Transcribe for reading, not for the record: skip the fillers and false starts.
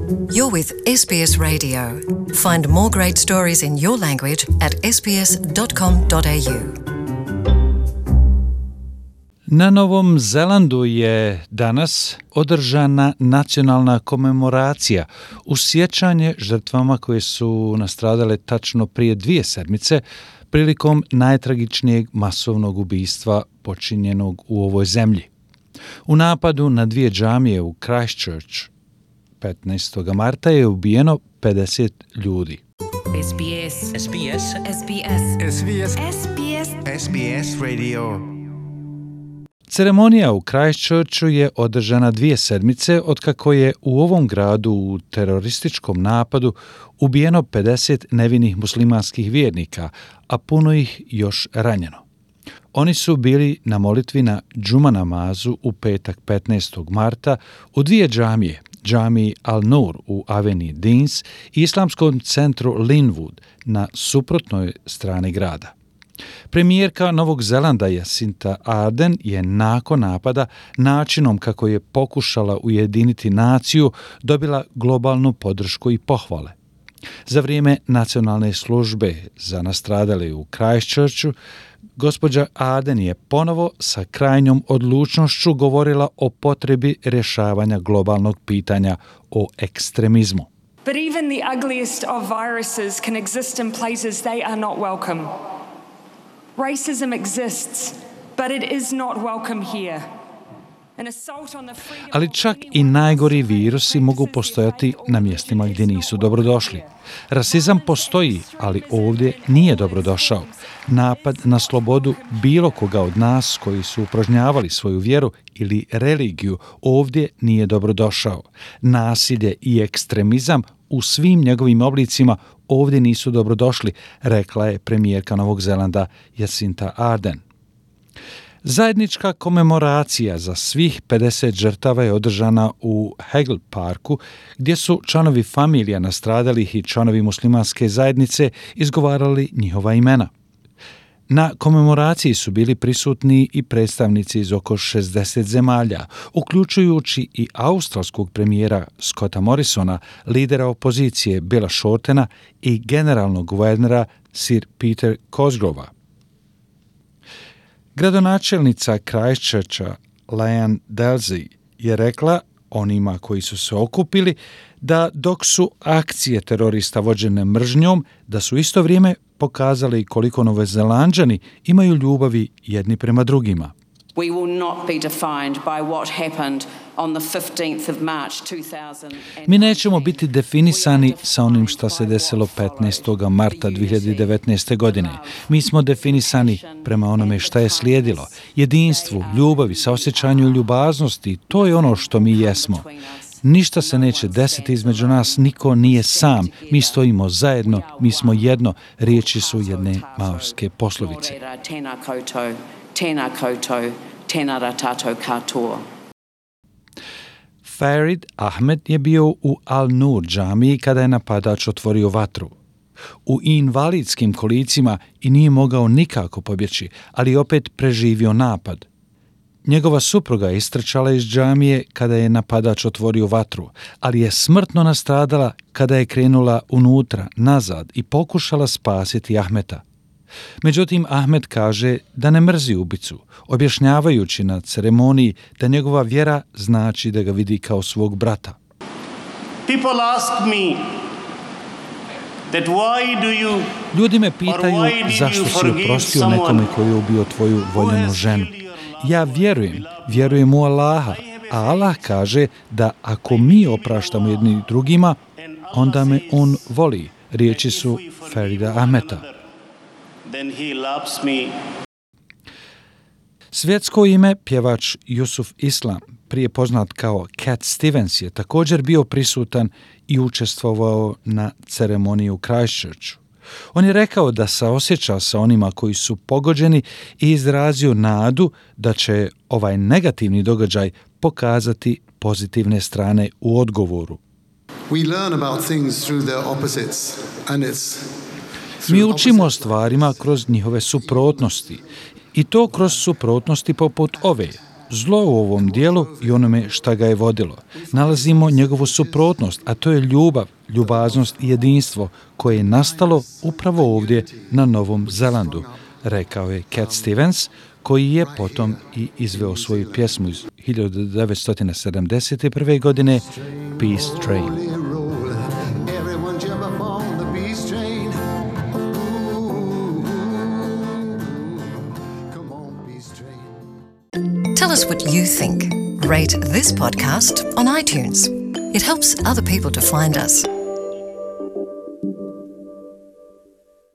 You're with SBS Radio. Find more great stories in your language at sbs.com.au. Na Novom Zelandu je danas održana nacionalna komemoracija u sjećanje žrtvama koje su nastradale tačno prije 2 sedmice prilikom najtragičnijeg masovnog ubistva počinjenog u ovoj zemlji. U napadu na 2 džamije u Christchurch 15. marta je ubijeno 50 ljudi. SBS Radio. Ceremonija u Christchurchu je održana 2 sedmice otkako je u ovom gradu u terorističkom napadu ubijeno 50 nevinih muslimanskih vjernika, a puno ih još ranjeno. Oni su bili na molitvi na džuma namazu u petak 15. marta u 2 džamije, džamiji Al-Nur u aveniji Deans i islamskom centru Linwood na suprotnoj strani grada. Premijerka Novog Zelanda Jacinta Ardern je nakon napada načinom kako je pokušala ujediniti naciju dobila globalnu podršku i pohvale. Za vrijeme nacionalne službe za nastradale u Christchurchu, gospođa Ardern je ponovo sa krajnjom odlučnošću govorila o potrebi rješavanja globalnog pitanja o ekstremizmu. But even the ugliest of viruses can exist in places they are not welcome. Racism exists, but it is not welcome here. Ali čak i najgori virusi mogu postojati na mjestima gdje nisu dobrodošli. Rasizam postoji, ali ovdje nije dobrodošao. Napad na slobodu bilo koga od nas koji su upražnjavali svoju vjeru ili religiju ovdje nije dobrodošao. Nasilje i ekstremizam u svim njegovim oblicima ovdje nisu dobrodošli, rekla je premijerka Novog Zelanda Jacinta Ardern. Zajednička komemoracija za svih 50 žrtava je održana u Hegel parku, gdje su članovi familija nastradalih i članovi muslimanske zajednice izgovarali njihova imena. Na komemoraciji su bili prisutni i predstavnici iz oko 60 zemalja, uključujući i australskog premijera Scotta Morrisona, lidera opozicije Billa Shortena i generalnog guvernera Sir Peter Cosgrova. Gradonačelnica Christchurcha Leanne Dalsey je rekla onima koji su se okupili da dok su akcije terorista vođene mržnjom, da su isto vrijeme pokazali koliko Novozelanđani imaju ljubavi jedni prema drugima. We will not be defined by what happened on the 15th of March 2000. Mi nećemo biti definisani sa onim što se desilo 15. marta 2019. godine. Mi smo definisani prema onome što je slijedilo. Jedinstvu, ljubavi, saosjećanju i ljubaznosti, to je ono što mi jesmo. Ništa se neće desiti između nas, niko nije sam. Mi stojimo zajedno, mi smo jedno, riječi su jedne maorske poslovice. Tēnā koutou, tēnā ratatou katoa. Farid Ahmed je bio u Al-Nur džamiji kada je napadač otvorio vatru. U invalidskim kolicima i nije mogao nikako pobjeći, ali opet preživio napad. Njegova supruga je istrčala iz džamije kada je napadač otvorio vatru, ali je smrtno nastradala kada je krenula unutra, nazad i pokušala spasiti Ahmeta. Međutim, Ahmed kaže da ne mrzi ubicu, objašnjavajući na ceremoniji da njegova vjera znači da ga vidi kao svog brata. Ljudi me pitaju zašto si oprostio nekome koji je ubio tvoju voljenu ženu. Ja vjerujem u Allaha, a Allah kaže da ako mi opraštamo jedni drugima, onda me on voli. Riječi su Farida Ahmeta. Then he loves me. Svjetsko ime pjevač Yusuf Islam, prije poznat kao Cat Stevens, je također bio prisutan i učestvovao na ceremoniji u Christchurchu. On je rekao da saosjeća sa onima koji su pogođeni i izrazio nadu da će ovaj negativni događaj pokazati pozitivne strane u odgovoru. We learn about things through their opposites and it's Mi učimo o stvarima kroz njihove suprotnosti i to kroz suprotnosti poput ove. zlo u ovom dijelu i onome šta ga je vodilo. Nalazimo njegovu suprotnost, a to je ljubav, ljubaznost i jedinstvo koje je nastalo upravo ovdje na Novom Zelandu, rekao je Cat Stevens, koji je potom i izveo svoju pjesmu iz 1971. godine Peace Train. Tell us what you think. Rate this podcast on iTunes. It helps other people to find us.